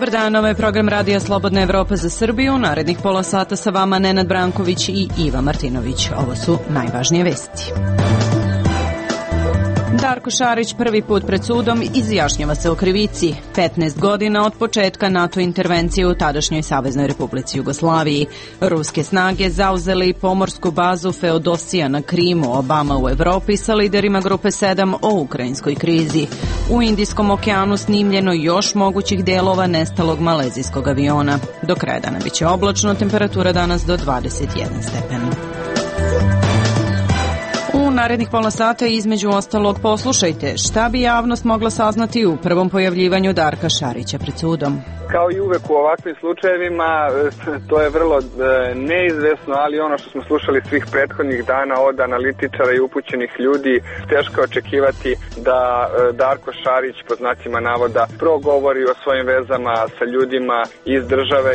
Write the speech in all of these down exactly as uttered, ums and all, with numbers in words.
Dobar dan, ovo je program Radija Slobodna Evropa za Srbiju. Narednih pola sata sa vama Nenad Branković i Iva Martinović. Ovo su najvažnije vesti. Darko Šarić prvi put pred sudom izjašnjava se o krivici. petnaest godina od početka NATO intervencije u tadašnjoj Saveznoj Republici Jugoslaviji. Ruske snage zauzeli pomorsku bazu Feodosija na Krimu, Obama u Evropi sa liderima Grupe sedam o ukrajinskoj krizi. U Indijskom okeanu snimljeno još mogućih delova nestalog malezijskog aviona. Do kraja dana biće oblačno, temperatura danas do dvadeset jedan stepen. U narednih pola sata između ostalog poslušajte šta bi javnost mogla saznati u prvom pojavljivanju Darka Šarića pred sudom. Kao i uvek u ovakvim slučajevima, to je vrlo neizvesno, ali ono što smo slušali svih prethodnih dana od analitičara i upućenih ljudi, teško očekivati da Darko Šarić, po znacima navoda, progovori o svojim vezama sa ljudima iz države.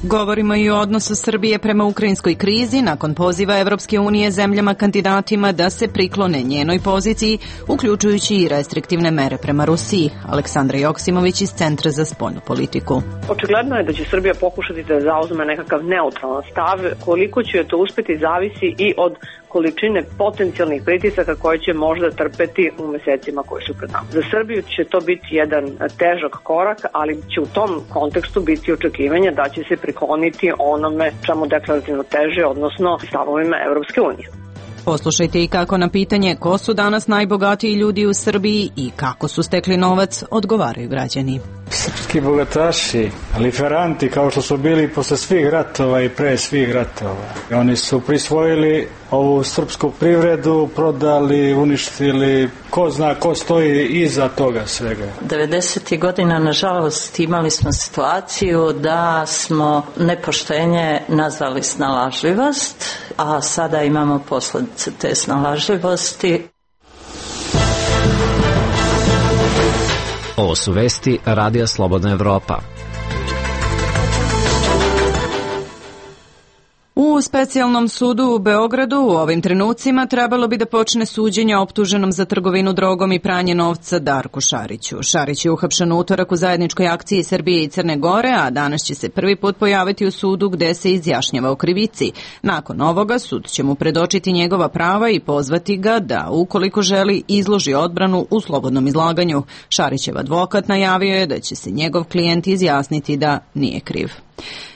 Govorimo i o odnosu Srbije prema ukrajinskoj krizi nakon poziva Evropske unije zemljama kandidatima da se priklone njenoj poziciji, uključujući i restriktivne mere prema Rusiji. Aleksandra Joksimović iz Centra za spoljnu politiku. Očigledno je da će Srbija pokušati da zauzme nekakav neutralan stav. Koliko će to uspeti zavisi i od količine potencijalnih pritisaka koje će možda trpeti u mesecima koji su pred nama. Za Srbiju će to biti jedan težak korak, ali će u tom kontekstu biti očekivanje da će se prikloniti onome čemu deklarativno teže, odnosno stavovima Evropske unije. Poslušajte i kako na pitanje ko su danas najbogatiji ljudi u Srbiji i kako su stekli novac odgovaraju građani. Srpski bogataši, liferanti kao što su bili posle svih ratova i pre svih ratova. Oni su prisvojili ovu srpsku privredu, prodali, uništili, ko zna ko stoji iza toga svega. devedesetih godina, nažalost, imali smo situaciju da smo nepoštenje nazvali snalažljivost, a sada imamo posledice te snalažljivosti. Ovo su vesti Radija Slobodna Evropa. U specijalnom sudu u Beogradu u ovim trenucima trebalo bi da počne suđenje optuženom za trgovinu drogom i pranje novca Darku Šariću. Šarić je uhapšen u utorak u zajedničkoj akciji Srbije i Crne Gore, a danas će se prvi put pojaviti u sudu gde se izjašnjava o krivici. Nakon ovoga sud će mu predočiti njegova prava i pozvati ga da, ukoliko želi, izloži odbranu u slobodnom izlaganju. Šarićev advokat najavio je da će se njegov klijent izjasniti da nije kriv.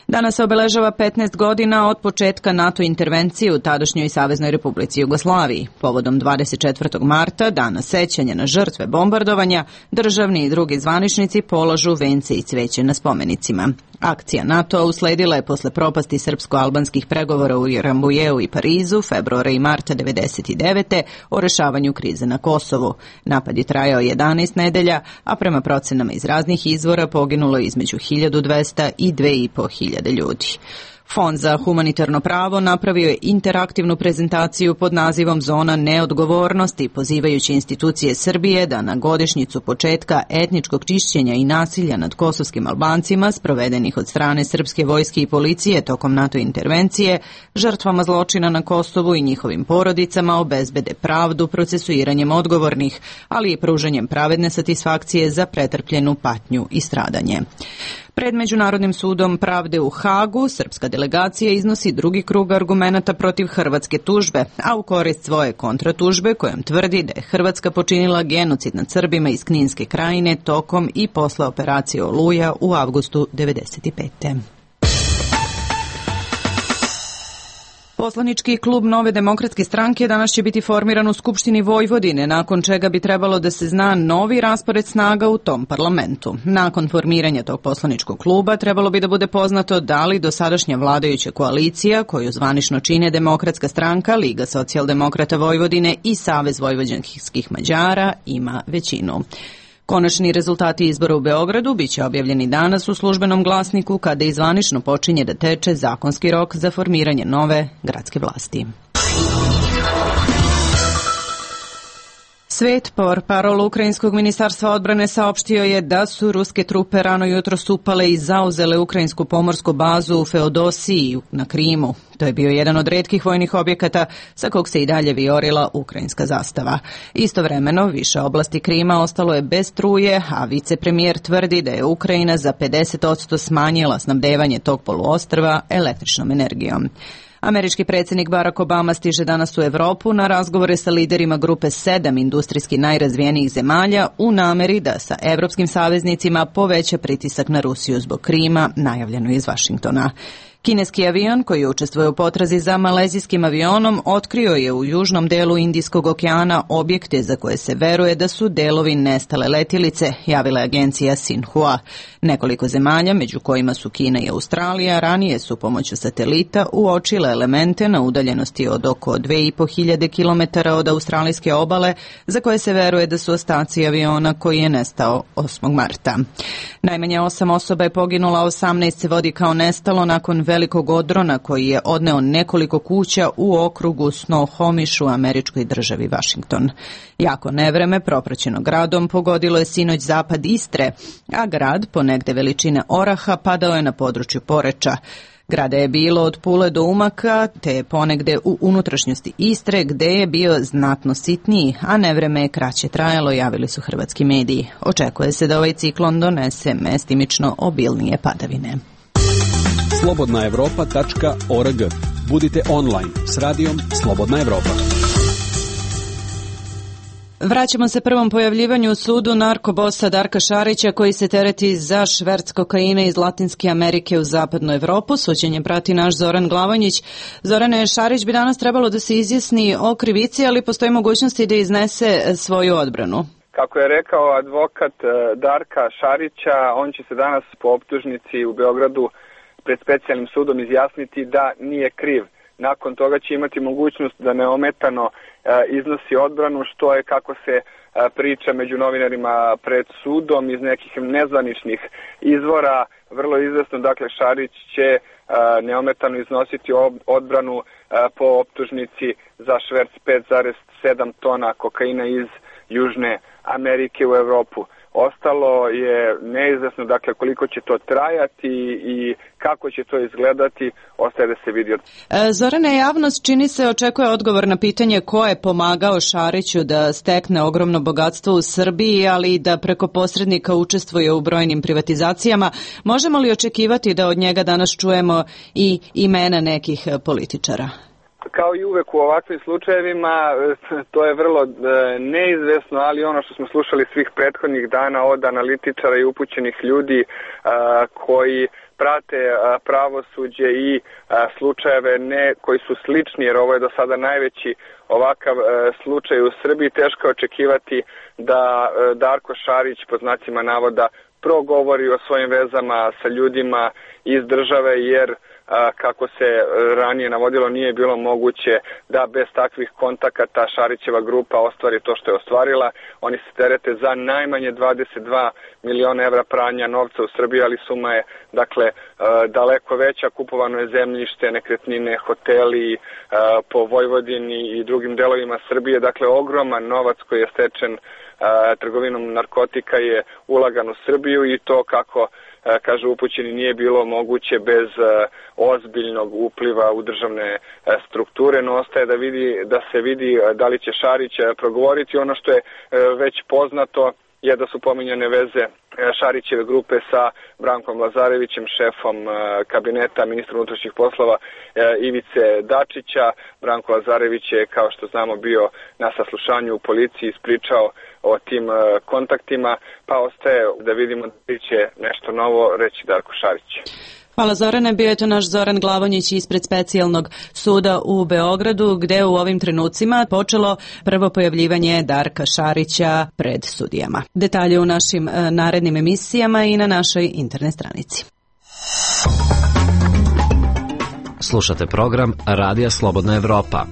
Danas se obeležava petnaest godina od početka NATO intervencije u tadašnjoj Saveznoj Republici Jugoslaviji. Povodom dvadeset četvrtog marta, dana sećanja na žrtve bombardovanja, državni i drugi zvaničnici polažu vence i cveće na spomenicima. Akcija NATO usledila je posle propasti srpsko-albanskih pregovora u Rambujeu i Parizu februara i marta devedeset devete o rešavanju krize na Kosovu. Napad je trajao jedanaest nedelja, a prema procenama iz raznih izvora poginulo je između hiljadu dvesta i dve i po hiljade ljudi. Fond za humanitarno pravo napravio je interaktivnu prezentaciju pod nazivom Zona neodgovornosti, pozivajući institucije Srbije da na godišnjicu početka etničkog čišćenja i nasilja nad kosovskim Albancima, sprovedenih od strane srpske vojske i policije tokom NATO intervencije, žrtvama zločina na Kosovu i njihovim porodicama obezbede pravdu procesuiranjem odgovornih, ali i pružanjem pravedne satisfakcije za pretrpljenu patnju i stradanje. Pred Međunarodnim sudom pravde u Hagu, srpska delegacija iznosi drugi krug argumenata protiv hrvatske tužbe, a u korist svoje kontratužbe kojom tvrdi da je Hrvatska počinila genocid nad Srbima iz Kninske krajine tokom i posle operacije Oluja u avgustu devedeset pete. Poslanički klub Nove demokratske stranke danas će biti formiran u Skupštini Vojvodine, nakon čega bi trebalo da se zna novi raspored snaga u tom parlamentu. Nakon formiranja tog poslaničkog kluba trebalo bi da bude poznato da li dosadašnja vladajuća koalicija, koju zvanično čine Demokratska stranka, Liga socijaldemokrata Vojvodine i Savez vojvođanskih Mađara, ima većinu. Konačni rezultati izbora u Beogradu biće objavljeni danas u službenom glasniku kada i zvanično počinje da teče zakonski rok za formiranje nove gradske vlasti. Svet portparol ukrajinskog ministarstva odbrane saopštio je da su ruske trupe rano jutros upale i zauzele ukrajinsku pomorsku bazu u Feodosiji na Krimu. To je bio jedan od retkih vojnih objekata sa kog se i dalje vijorila ukrajinska zastava. Istovremeno, više oblasti Krima ostalo je bez struje, a vicepremijer tvrdi da je Ukrajina za pedeset posto smanjila snabdevanje tog poluostrva električnom energijom. Američki predsjednik Barack Obama stiže danas u Evropu na razgovore sa liderima grupe sedam industrijski najrazvijenijih zemalja u nameri da sa evropskim saveznicima poveća pritisak na Rusiju zbog Krima, najavljeno iz Vašingtona. Kineski avion koji učestvuje u potrazi za malezijskim avionom otkrio je u južnom delu Indijskog okeana objekte za koje se veruje da su delovi nestale letjelice, javila je agencija Xinhua. Nekoliko zemalja, među kojima su Kina i Australija, ranije su pomoću satelita uočile elemente na udaljenosti od oko dve i po hiljade kilometara od australijske obale, za koje se veruje da su ostaci aviona koji je nestao osmog marta. Najmanje osam osoba je poginula, osamnaest se vodi kao nestalo nakon velikog odrona koji je odneo nekoliko kuća u okrugu Snohomish u američkoj državi Washington. Jako nevreme, propraćeno gradom, pogodilo je sinoć zapad Istre, a grad, ponegde veličine oraha, padao je na području Poreča. Grada je bilo od Pule do Umaka, te ponegde u unutrašnjosti Istre, gde je bio znatno sitniji, a nevreme je kraće trajalo, javili su hrvatski mediji. Očekuje se da ovaj ciklon donese mestimično obilnije padavine. slobodna evropa tačka org. Budite online s radijom Slobodna Evropa. Vraćamo se prvom pojavljivanju u sudu narkobosa Darka Šarića koji se tereti za šverc kokaina iz Latinske Amerike u zapadnu Evropu. Suđenje prati naš Zoran Glavonjić. Zorane, Šarić bi danas trebalo da se izjasni o krivici, ali postoji mogućnosti da iznese svoju odbranu. Kako je rekao advokat Darka Šarića, on će se danas po optužnici u Beogradu pred specijalnim sudom izjasniti da nije kriv. Nakon toga će imati mogućnost da neometano e, iznosi odbranu, što je, kako se e, priča među novinarima pred sudom iz nekih nezvaničnih izvora, vrlo izvesno. Dakle, Šarić će e, neometano iznositi ob, odbranu e, po optužnici za šverc pet zarez sedam tona kokaina iz Južne Amerike u Evropu. Ostalo je neizvesno, dakle, koliko će to trajati i kako će to izgledati, ostaje da se vidi. Zorane, javnost čini se očekuje odgovor na pitanje ko je pomagao Šariću da stekne ogromno bogatstvo u Srbiji, ali i da preko posrednika učestvuje u brojnim privatizacijama. Možemo li očekivati da od njega danas čujemo i imena nekih političara? Kao i uvek u ovakvim slučajevima, to je vrlo neizvesno, ali ono što smo slušali svih prethodnih dana od analitičara i upućenih ljudi koji prate pravosuđe i slučajeve ne koji su slični, jer ovo je do sada najveći ovakav slučaj u Srbiji, teško je očekivati da Darko Šarić, pod znacima navoda, progovori o svojim vezama sa ljudima iz države, jer kako se ranije navodilo, nije bilo moguće da bez takvih kontakata Šarićeva grupa ostvari to što je ostvarila. Oni se terete za najmanje dvadeset dva miliona evra pranja novca u Srbiji, ali suma je, dakle, daleko veća. Kupovano je zemljište, nekretnine, hoteli po Vojvodini i drugim delovima Srbije. Dakle, ogroman novac koji je stečen trgovinom narkotika je ulagan u Srbiju i to, kako kaže upućeni, nije bilo moguće bez ozbiljnog upliva u državne strukture, no ostaje da, vidi, da se vidi da li će Šarić progovoriti. Ono što je već poznato je da su pominjane veze Šarićeve grupe sa Brankom Lazarevićem, šefom kabineta ministra unutrašnjih poslova Ivice Dačića. Branko Lazarević je, kao što znamo, bio na saslušanju u policiji, ispričao o tim kontaktima, pa ostaje da vidimo da će nešto novo reći Darko Šarić. Hvala Zorane, bio je to naš Zoran Glavonjić ispred specijalnog suda u Beogradu, gde u ovim trenucima počelo prvo pojavljivanje Darka Šarića pred sudijama. Detalje u našim narednim emisijama i na našoj internet stranici. Slušate program Radija Slobodna Evropa.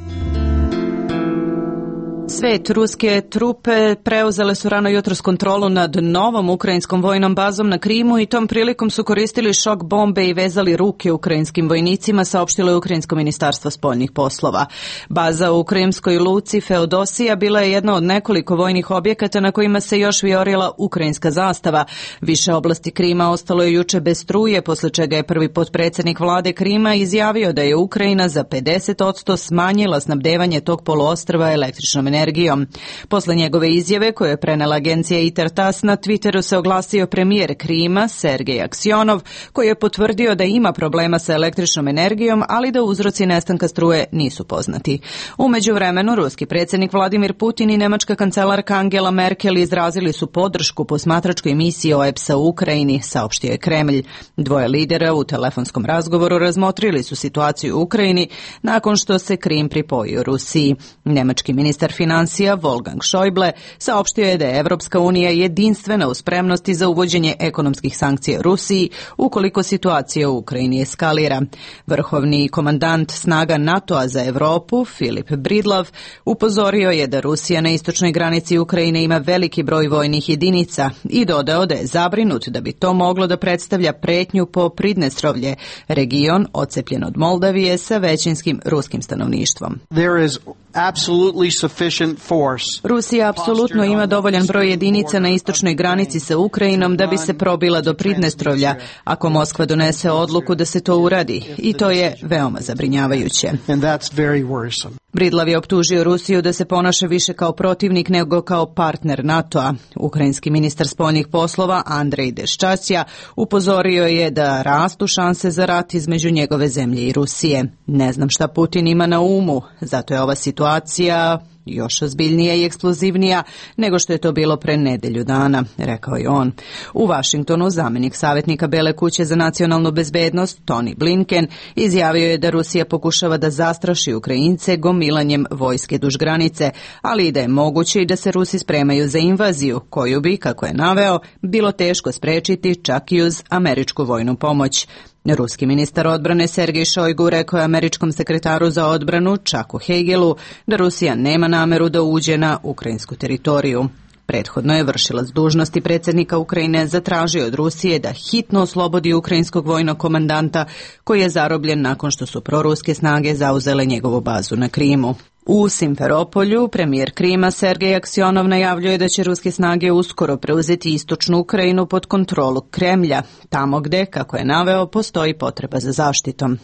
svet, ruske trupe preuzele su rano jutros kontrolu nad novom ukrajinskom vojnom bazom na Krimu i tom prilikom su koristili šok bombe i vezali ruke ukrajinskim vojnicima, saopštilo je Ukrajinsko ministarstvo spoljnih poslova. Baza u ukrajinskoj luci Feodosija bila je jedna od nekoliko vojnih objekata na kojima se još vijorila ukrajinska zastava. Više oblasti Krima ostalo je juče bez struje, posle čega je prvi potpredsjednik vlade Krima izjavio da je Ukrajina za pedeset posto smanjila snabdevanje tog poluostrva električnom energijom. Posle njegove izjave, koju je prenela agencija Intertas, na Twitteru se oglasio premijer Krima, Sergej Aksionov, koji je potvrdio da ima problema sa električnom energijom, ali da uzroci nestanka struje nisu poznati. U međuvremenu, ruski predsjednik Vladimir Putin i nemačka kancelarka Angela Merkel izrazili su podršku posmatračkoj misiji O E P S-a u Ukrajini, saopštio je Kremlj. Dvoje lidera u telefonskom razgovoru razmotrili su situaciju u Ukrajini nakon što se Krim pripojio Rusiji. Nemački ministar financija Wolfgang Schäuble saopštio je da je Evropska unija jedinstvena u spremnosti za uvođenje ekonomskih sankcija Rusiji ukoliko situacija u Ukrajini eskalira. Vrhovni komandant snaga NATO-a za Europu, Filip Bridlov, upozorio je da Rusija na istočnoj granici Ukrajine ima veliki broj vojnih jedinica i dodao da je zabrinut da bi to moglo da predstavlja pretnju po Pridnestrovlje, region odcepljen od Moldavije sa većinskim ruskim stanovništvom. There is absolutely sufficient force. Rusija apsolutno ima dovoljan broj jedinica na istočnoj granici sa Ukrajinom da bi se probila do Pridnestrovlja, ako Moskva donese odluku da se to uradi, i to je veoma zabrinjavajuće. And that's very worrisome. Bridlav je optužio Rusiju da se ponaša više kao protivnik nego kao partner NATO-a. Ukrajinski ministar spoljnih poslova Andrej Deščasja upozorio je da rastu šanse za rat između njegove zemlje i Rusije. Ne znam šta Putin ima na umu, zato je ova situacija još ozbiljnija i eksplozivnija nego što je to bilo pre nedelju dana, rekao je on. U Vašingtonu zamjenik savjetnika Bele kuće za nacionalnu bezbednost Tony Blinken izjavio je da Rusija pokušava da zastraši Ukrajince gomilanjem vojske duž granice, ali i da je moguće i da se Rusi spremaju za invaziju, koju bi, kako je naveo, bilo teško sprečiti čak i uz američku vojnu pomoć. Ruski ministar odbrane Sergej Šojgu rekao je američkom sekretaru za odbranu Chucku Hagelu da Rusija nema nameru da uđe na ukrajinsku teritoriju. Prethodno je vršilac dužnosti predsjednika Ukrajine zatražio od Rusije da hitno oslobodi ukrajinskog vojnog komandanta koji je zarobljen nakon što su proruske snage zauzele njegovu bazu na Krimu. U Simferopolju premijer Krima Sergej Aksionov najavljuje da će ruske snage uskoro preuzeti istočnu Ukrajinu pod kontrolu Kremlja, tamo gde, kako je naveo, postoji potreba za zaštitom.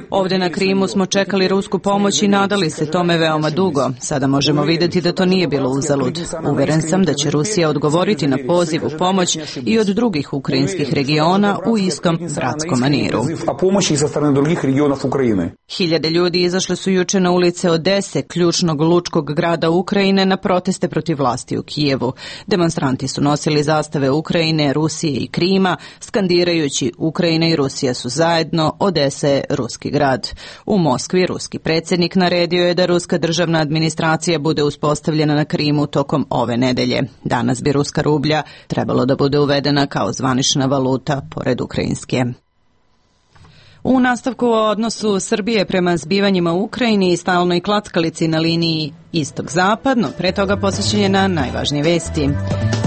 Ovdje na Krimu smo čekali rusku pomoć i nadali se tome veoma dugo. Sada možemo vidjeti da to nije bilo uzalud. Uveren sam da će Rusija odgovoriti na poziv u pomoć i od drugih ukrajinskih regiona u istom bratskom maniru. Hiljade ljudi izašli su juče na ulice Odese, ključnog lučkog grada Ukrajine, na proteste protiv vlasti u Kijevu. Demonstranti su nosili zastave Ukrajine, Rusije i Krima, skandirajući Ukrajina i Rusija su zajedno, Odesa je ruski grad. U Moskvi ruski predsjednik naredio je da ruska državna administracija bude uspostavljena na Krimu tokom ove nedelje. Danas bi ruska rublja trebalo da bude uvedena kao zvanična valuta pored ukrajinske. U nastavku o odnosu Srbije prema zbivanjima u Ukrajini i stalnoj klackalici na liniji istok-zapad, no pre toga posvećenje na najvažnije vesti.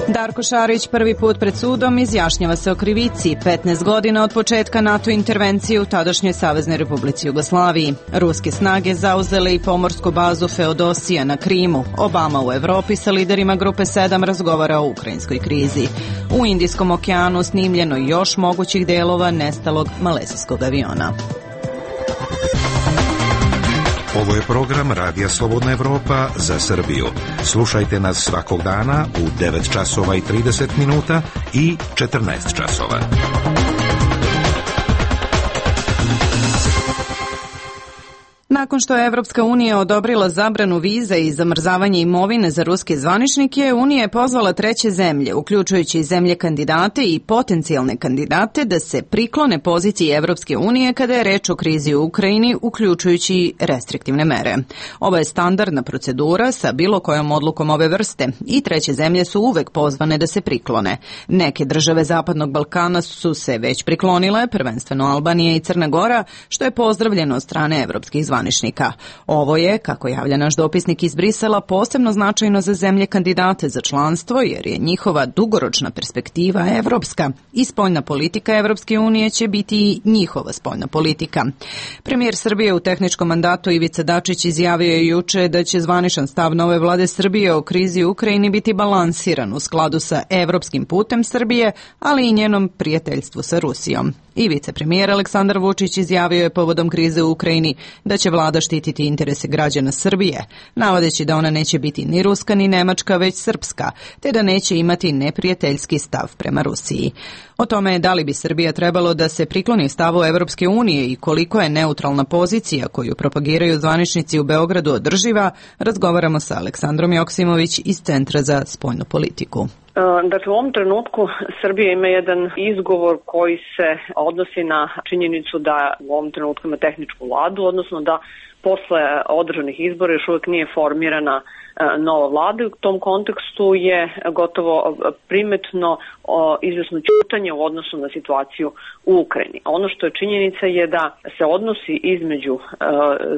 Darko Šarić prvi put pred sudom izjašnjava se o krivici petnaest godina od početka NATO intervencije u tadašnjoj Saveznoj Republici Jugoslaviji. Ruske snage zauzele i pomorsku bazu Feodosija na Krimu. Obama u Evropi sa liderima Grupe sedam razgovara o ukrajinskoj krizi. U Indijskom okeanu snimljeno još mogućih delova nestalog malezijskog aviona. Ovo je program Radija Slobodna Evropa za Srbiju. Slušajte nas svakog dana u devet časova i trideset minuta i četrnaest časova. Nakon što je Evropska unija odobrila zabranu viza i zamrzavanje imovine za ruske zvaničnike, Unija je pozvala treće zemlje, uključujući i zemlje kandidate i potencijalne kandidate, da se priklone poziciji Evropske unije kada je reč o krizi u Ukrajini, uključujući i restriktivne mere. Ovo je standardna procedura sa bilo kojom odlukom ove vrste i treće zemlje su uvek pozvane da se priklone. Neke države Zapadnog Balkana su se već priklonile, prvenstveno Albanija i Crna Gora, što je pozdravljeno od strane evropskih zvaničnika. zvaničnika. Ovo je, kako javlja naš dopisnik iz Brisela, posebno značajno za zemlje kandidate za članstvo, jer je njihova dugoročna perspektiva evropska i spoljna politika Evropske unije će biti i njihova spoljna politika. Premijer Srbije u tehničkom mandatu Ivica Dačić izjavio je juče da će zvaničan stav nove vlade Srbije o krizi u Ukrajini biti balansiran u skladu sa evropskim putem Srbije, ali i njenom prijateljstvu sa Rusijom. I vicepremijer Aleksandar Vučić izjavio je povodom krize u Ukrajini da će vlada štititi interese građana Srbije, navodeći da ona neće biti ni ruska ni nemačka, već srpska, te da neće imati neprijateljski stav prema Rusiji. O tome da li bi Srbija trebalo da se prikloni stavu Evropske unije i koliko je neutralna pozicija koju propagiraju zvaničnici u Beogradu održiva, razgovaramo sa Aleksandrom Joksimović iz Centra za spoljnu politiku. Dakle, u ovom trenutku Srbija ima jedan izgovor koji se odnosi na činjenicu da u ovom trenutku ima tehničku vladu, odnosno da posle održanih izbora još uvijek nije formirana nova vlada. U tom kontekstu je gotovo primetno izvesno ćutanje u odnosu na situaciju u Ukrajini. Ono što je činjenica je da se odnosi između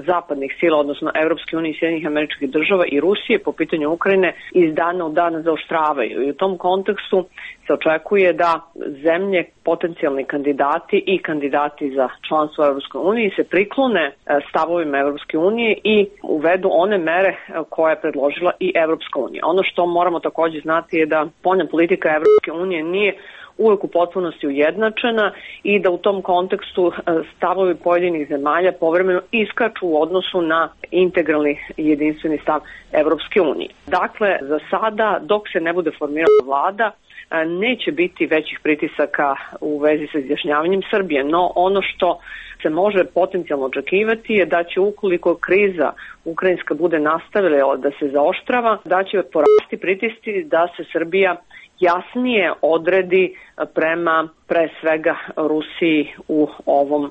zapadnih sila, odnosno Evropske unije i Sjedinjenih Američkih Država i Rusije po pitanju Ukrajine iz dana u dan zaoštravaju. I u tom kontekstu se očekuje da zemlje, potencijalni kandidati i kandidati za članstvo u Evropskoj uniji se priklone stavovima Evropske unije i uvedu one mere koje je predložila i Evropska unija. Ono što moramo također znati je da spoljna politika Evropske unije nije uvijek u potpunosti ujednačena i da u tom kontekstu stavovi pojedinih zemalja povremeno iskaču u odnosu na integralni jedinstveni stav Evropske unije. Dakle, za sada, dok se ne bude formirala vlada, neće biti većih pritisaka u vezi sa izjašnjavanjem Srbije, no ono što se može potencijalno očekivati je da će, ukoliko kriza ukrajinska bude nastavila da se zaoštrava, da će porasti pritisci da se Srbija jasnije odredi prema pre svega Rusiji u ovom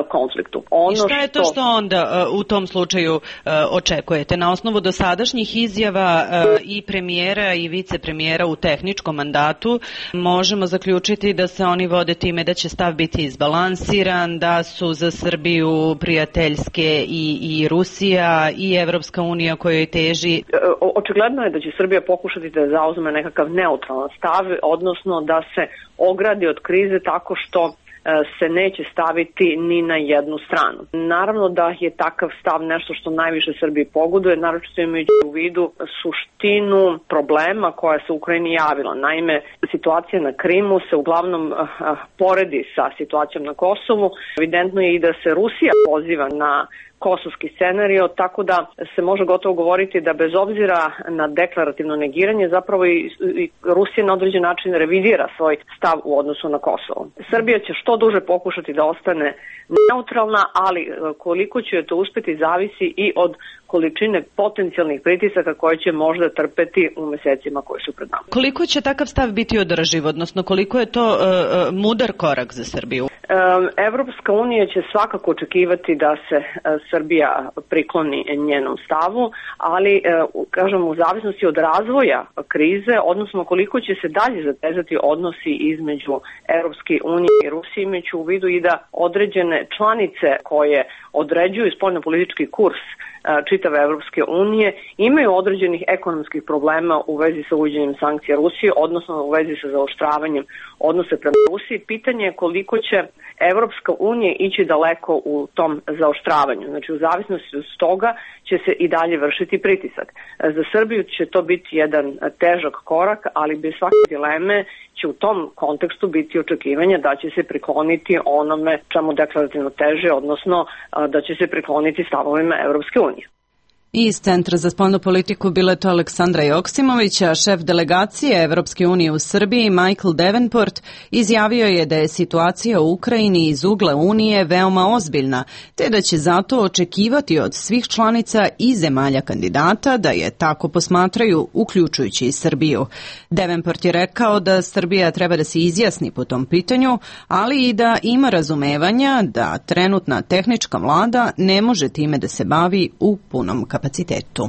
konfliktu. Ono I šta je to što onda u tom slučaju očekujete? Na osnovu dosadašnjih izjava i premijera i vicepremijera u tehničkom mandatu možemo zaključiti da se oni vode time da će stav biti izbalansiran, da su za Srbiju prijateljske i, i Rusija i Evropska unija kojoj teži. Očigledno je da će Srbija pokušati da zauzme nekakav neutralan stav, odnosno da se ogradi od krize tako što se neće staviti ni na jednu stranu. Naravno da je takav stav nešto što najviše Srbiji pogoduje, naročito imajući u vidu suštinu problema koja se u Ukrajini javila. Naime, situacija na Krimu se uglavnom poredi sa situacijom na Kosovu. Evidentno je i da se Rusija poziva na kosovski scenario, tako da se može gotovo govoriti da bez obzira na deklarativno negiranje zapravo i, i Rusija na određen način revidira svoj stav u odnosu na Kosovo. Srbija će što duže pokušati da ostane neutralna, ali koliko će to uspeti zavisi i od količine potencijalnih pritisaka koje će možda trpeti u mesecima koji su pred nama. Koliko će takav stav biti održiv, odnosno koliko je to uh, mudar korak za Srbiju? Um, Evropska unija će svakako očekivati da se uh, Srbija prikloni njenom stavu, ali uh, kažem u zavisnosti od razvoja krize, odnosno koliko će se dalje zatezati odnosi između Evropske unije i Rusije, imajući u vidu i da određene članice koje određuju spoljnopolitički kurs čitave Evropske unije imaju određenih ekonomskih problema u vezi sa uvođenjem sankcija Rusije, odnosno u vezi sa zaoštravanjem odnose prema Rusiji. Pitanje je koliko će Evropska unija ići daleko u tom zaoštravanju. Znači, u zavisnosti od toga će se i dalje vršiti pritisak. Za Srbiju će to biti jedan težak korak, ali bez svake dileme će u tom kontekstu biti očekivanje da će se prikloniti onome čemu deklarativno teže, odnosno da će se prikloniti stavovima Evropske unije. Iz Centra za spoljnu politiku bila je to Aleksandra Joksimovića, šef delegacije Evropske unije u Srbiji Michael Davenport izjavio je da je situacija u Ukrajini iz ugla Unije veoma ozbiljna, te da će zato očekivati od svih članica i zemalja kandidata da je tako posmatraju, uključujući i Srbiju. Davenport je rekao da Srbija treba da se izjasni po tom pitanju, ali i da ima razumevanja da trenutna tehnička vlada ne može time da se bavi u punom kapacitetu. kapacitetu.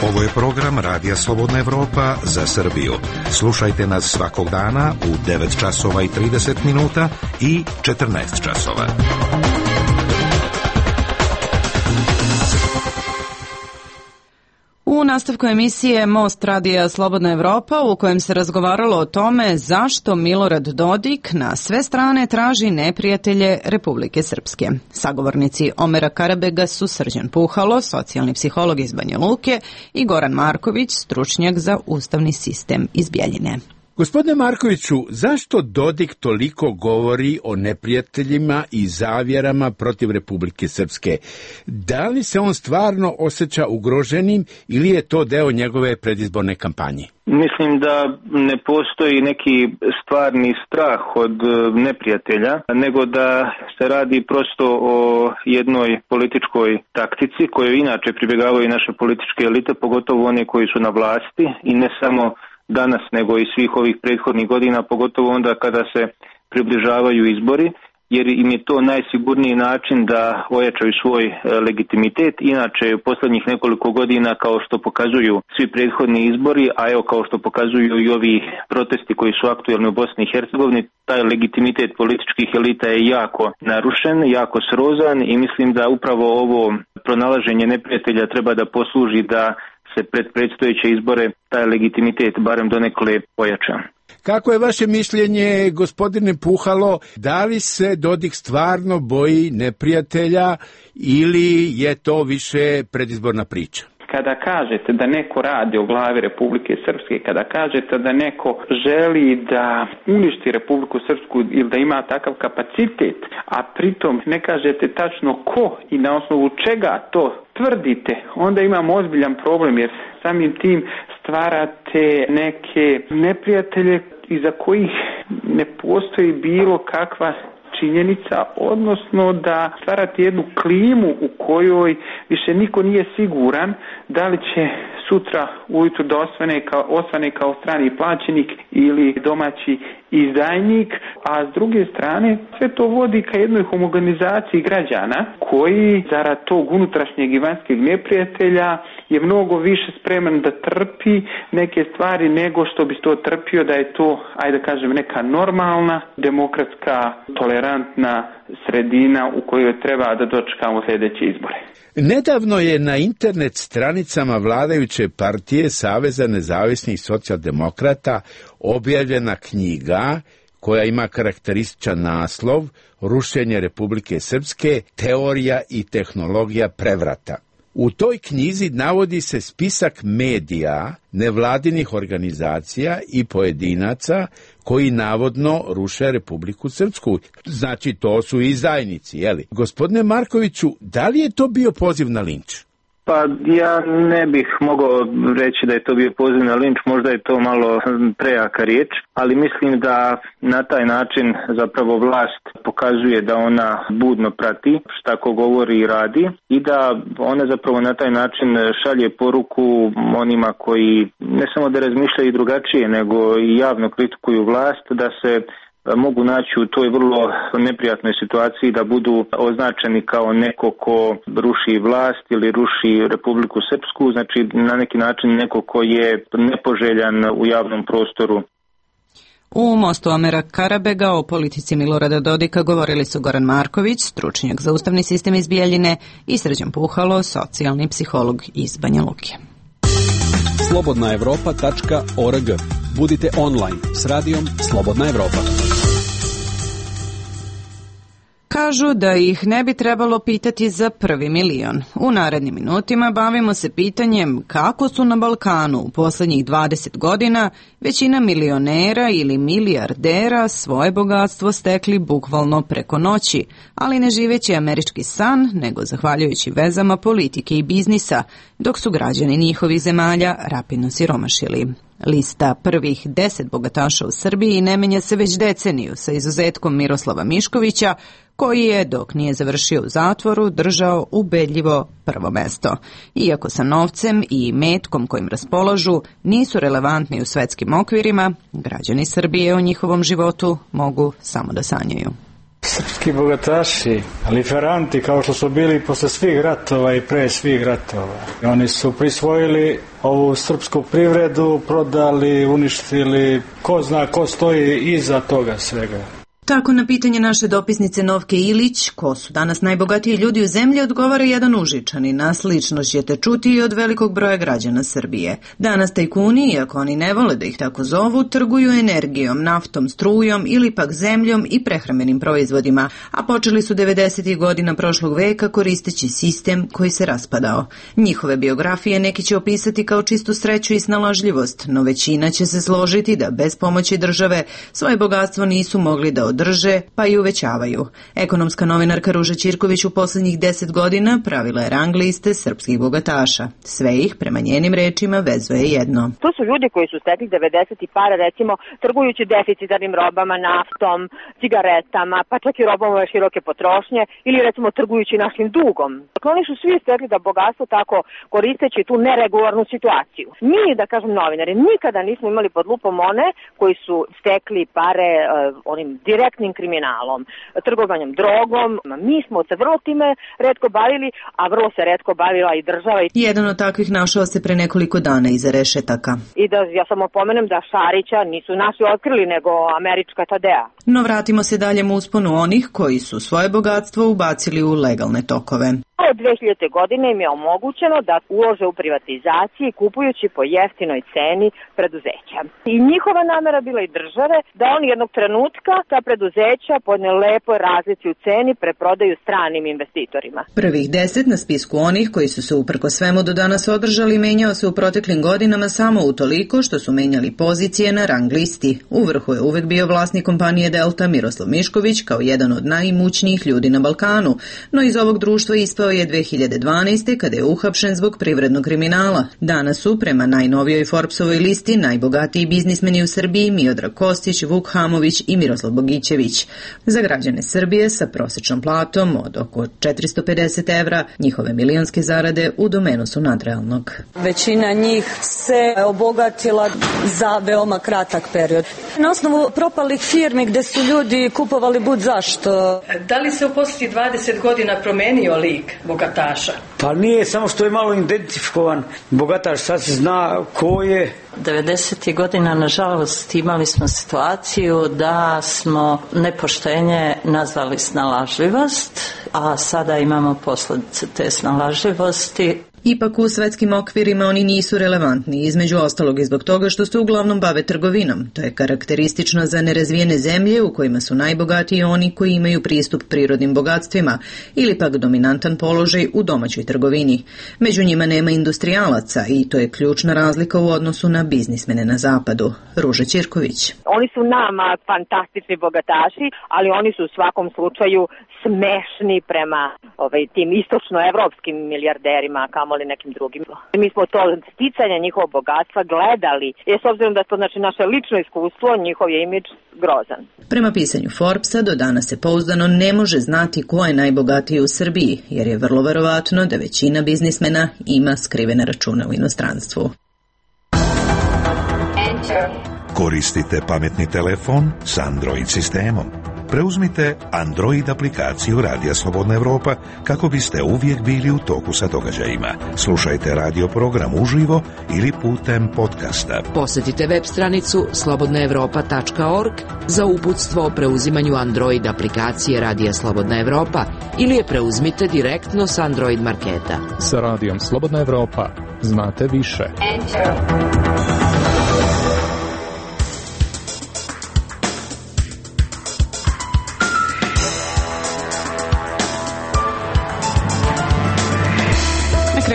Ovo je program Radija Slobodna Evropa za Srbiju. Slušajte nas svakog dana u devet časova i trideset minuta i četrnaest časova. U nastavku emisije Most radija Slobodna Evropa, u kojem se razgovaralo o tome zašto Milorad Dodik na sve strane traži neprijatelje Republike Srpske. Sagovornici Omera Karabega su Srđan Puhalo, socijalni psiholog iz Banja Luke, i Goran Marković, stručnjak za ustavni sistem iz Bjeljine. Gospodine Markoviću, zašto Dodik toliko govori o neprijateljima i zavjerama protiv Republike Srpske? Da li se on stvarno osjeća ugroženim ili je to deo njegove predizborne kampanje? Mislim da ne postoji neki stvarni strah od neprijatelja, nego da se radi prosto o jednoj političkoj taktici koju inače pribjegavaju naše političke elite, pogotovo one koji su na vlasti, i ne samo danas nego i svih ovih prethodnih godina, pogotovo onda kada se približavaju izbori, jer im je to najsigurniji način da ojačaju svoj legitimitet. Inače, u posljednjih nekoliko godina, kao što pokazuju svi prethodni izbori, a evo kao što pokazuju i ovi protesti koji su aktuelni u Bosni i Hercegovini, taj legitimitet političkih elita je jako narušen, jako srozan, i mislim da upravo ovo pronalaženje neprijatelja treba da posluži da se pred predstojeće izbore taj legitimitet barem donekle pojača. Kako je vaše mišljenje, gospodine Puhalo, da li se Dodik stvarno boji neprijatelja ili je to više predizborna priča? Kada kažete da neko radi o glavi Republike Srpske, kada kažete da neko želi da uništi Republiku Srpsku ili da ima takav kapacitet, a pritom ne kažete tačno ko i na osnovu čega to tvrdite, onda imamo ozbiljan problem, jer samim tim stvarate neke neprijatelje iza kojih ne postoji bilo kakva činjenica, odnosno da stvarate jednu klimu u kojoj više niko nije siguran da li će sutra ujutru da osvane kao, osvane kao strani plaćenik ili domaći izdajnik, a s druge strane sve to vodi ka jednoj homogenizaciji građana koji zarad tog unutrašnjeg i vanjskog neprijatelja je mnogo više spreman da trpi neke stvari nego što bi to trpio da je to, ajde da kažem, neka normalna, demokratska, tolerantna sredina u kojoj treba da dočekamo sljedeće izbore. Nedavno je na internet stranicama vladajuće partije Saveza nezavisnih socijaldemokrata objavljena knjiga koja ima karakterističan naslov Rušenje Republike Srpske, teorija i tehnologija prevrata. U toj knjizi navodi se spisak medija, nevladinih organizacija i pojedinaca koji navodno ruše Republiku Srpsku. Znači, to su izdajnici, jeli? Gospodine Markoviću, da li je to bio poziv na linč? Pa ja ne bih mogao reći da je to bio poziv na linč, možda je to malo prejaka riječ, ali mislim da na taj način zapravo vlast pokazuje da ona budno prati šta ko govori i radi i da ona zapravo na taj način šalje poruku onima koji ne samo da razmišljaju drugačije, nego i javno kritikuju vlast, da se mogu naći u toj vrlo neprijatnoj situaciji da budu označeni kao neko ko ruši vlast ili ruši Republiku Srpsku, znači na neki način neko ko je nepoželjan u javnom prostoru. U Mostu Omera Karabega o politici Milorada Dodika govorili su Goran Marković, stručnjak za ustavni sistem iz Bjeljine, i Srđan Puhalo, socijalni psiholog iz Banja Luke. slobodna evropa tačka org. Budite online s radijom Slobodna Evropa. Kažu da ih ne bi trebalo pitati za prvi milion. U narednim minutima bavimo se pitanjem kako su na Balkanu u posljednjih dvadeset godina većina milionera ili milijardera svoje bogatstvo stekli bukvalno preko noći, ali ne živeći američki san, nego zahvaljujući vezama politike i biznisa, dok su građani njihovih zemalja rapidno siromašili. Lista prvih deset bogataša u Srbiji ne menja se već deceniju, sa izuzetkom Miroslava Miškovića, koji je, dok nije završio u zatvoru, držao ubedljivo prvo mesto. Iako sa novcem i metkom kojim raspolažu nisu relevantni u svetskim okvirima, građani Srbije o njihovom životu mogu samo da sanjaju. Srpski bogataši, liferanti kao što su bili posle svih ratova i pre svih ratova. Oni su prisvojili ovu srpsku privredu, prodali, uništili, ko zna ko stoji iza toga svega. Tako na pitanje naše dopisnice Novke Ilić, ko su danas najbogatiji ljudi u zemlji, odgovara jedan Užičanin, a slično ćete čuti i od velikog broja građana Srbije. Danas tajkuni, iako oni ne vole da ih tako zovu, trguju energijom, naftom, strujom ili pak zemljom i prehrambenim proizvodima, a počeli su devedesetih godina prošlog veka koristeći sistem koji se raspadao. Njihove biografije neki će opisati kao čistu sreću i snalažljivost, no većina će se složiti da bez pomoći države svoje bogatstvo nisu mogli da održe, pa i uvećavaju. Ekonomska novinarka Ruža Ćirković u posljednjih deset godina pravila je rang liste srpskih bogataša. Sve ih, prema njenim rečima, vezuje jedno. To su ljudi koji su stekli devedesetih para, recimo, trgujući deficitarnim robama, naftom, cigaretama, pa čak i robama široke potrošnje, ili recimo trgujući našim dugom. Dakle, oni su svi stekli da bogatstvo tako koristeći tu neregularnu situaciju. Mi, da kažem novinari, nikada nismo imali pod lupom one koji su stekli pare uh, onim direktnim kriminalom, trgovanjem drogom. Mi smo se vrlo time retko bavili, a vrlo se retko bavila i država. Jedan od takvih našao se pre nekoliko dana iza rešetaka. I da ja samo pomenem da Šarića nisu naši otkrili, nego američka Tadea. No vratimo se daljem usponu onih koji su svoje bogatstvo ubacili u legalne tokove. Od dve hiljadite. godine im je omogućeno da ulože u privatizaciji kupujući po jeftinoj ceni preduzeća. I njihova namera bila i države da oni jednog trenutka ta preduzeća po jednoj lepoj razlici u ceni preprodaju stranim investitorima. Prvih deset na spisku onih koji su se uprko svemu do danas održali menjao se u proteklim godinama samo utoliko što su menjali pozicije na rang listi. U vrhu je uvek bio vlasnik kompanije Delta Miroslav Mišković kao jedan od najimućnijih ljudi na Balkanu, no iz ovog društva ispao je dve hiljade dvanaeste. kada je uhapšen zbog privrednog kriminala. Danas su, prema najnovijoj Forbesovoj listi, najbogatiji biznismeni u Srbiji Miodrag Kostić, Vuk Hamović i Miroslav Bogićević. Za građane Srbije sa prosečnom platom od oko četiristo pedeset evra, njihove milionske zarade u domenu su nadrealnog. Većina njih se obogatila za veoma kratak period. Na osnovu propalih firmi gde su ljudi kupovali bud zašto. Da li se u posljednjih dvadeset godina promenio lik bogataša? Pa nije, samo što je malo identifikovan bogataš, sad se zna ko je. devedesetih godina, nažalost, imali smo situaciju da smo nepoštenje nazvali snalažljivost, a sada imamo posljedice te snalažljivosti. Ipak u svetskim okvirima oni nisu relevantni, između ostalog i zbog toga što se uglavnom bave trgovinom. To je karakteristično za nerazvijene zemlje u kojima su najbogatiji oni koji imaju pristup prirodnim bogatstvima ili pak dominantan položaj u domaćoj trgovini. Među njima nema industrijalaca i to je ključna razlika u odnosu na biznismene na zapadu. Ruža Ćirković. Oni su nama fantastični bogataši, ali oni su u svakom slučaju smešni prema ovaj, tim istočnoevropskim milijarderima, kamoli nekim drugim. Mi smo to sticanje njihovog bogatstva gledali, jer s obzirom da to znači naše lično iskustvo, njihov je imidž grozan. Prema pisanju Forbesa, do danas se pouzdano ne može znati ko je najbogatiji u Srbiji, jer je vrlo verovatno da većina biznismena ima skrivene račune u inostranstvu. Koristite pametni telefon s Android sistemom. Preuzmite Android aplikaciju Radija Slobodna Evropa kako biste uvijek bili u toku sa događajima. Slušajte radio program uživo ili putem podcasta. Posjetite web stranicu slobodna evropa tačka org za uputstvo o preuzimanju Android aplikacije Radija Slobodna Evropa ili je preuzmite direktno s Android marketa. Sa Radijom Slobodna Evropa znate više. Enter.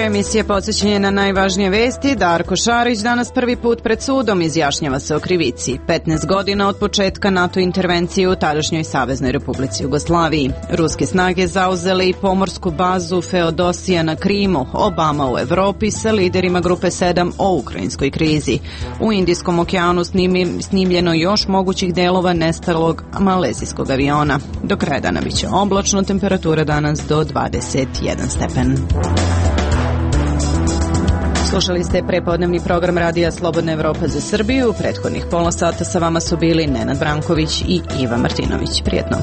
Emisije podsjećanje na najvažnije vesti. Darko Šarić danas prvi put pred sudom izjašnjava se o krivici. petnaest godina od početka NATO intervencije u tadašnjoj Saveznoj Republici Jugoslaviji. Ruske snage zauzele i pomorsku bazu Feodosija na Krimu. Obama u Evropi sa liderima grupe sedam o ukrajinskoj krizi. U Indijskom okeanu snimljeno još mogućih delova nestalog malezijskog aviona. Do kraja dana biće oblačno, temperatura danas do dvadeset jedan stepen. Slušali ste prepodnevni program Radija Slobodna Evropa za Srbiju. U prethodnih pola sata sa vama su bili Nenad Branković i Iva Martinović. Prijetno.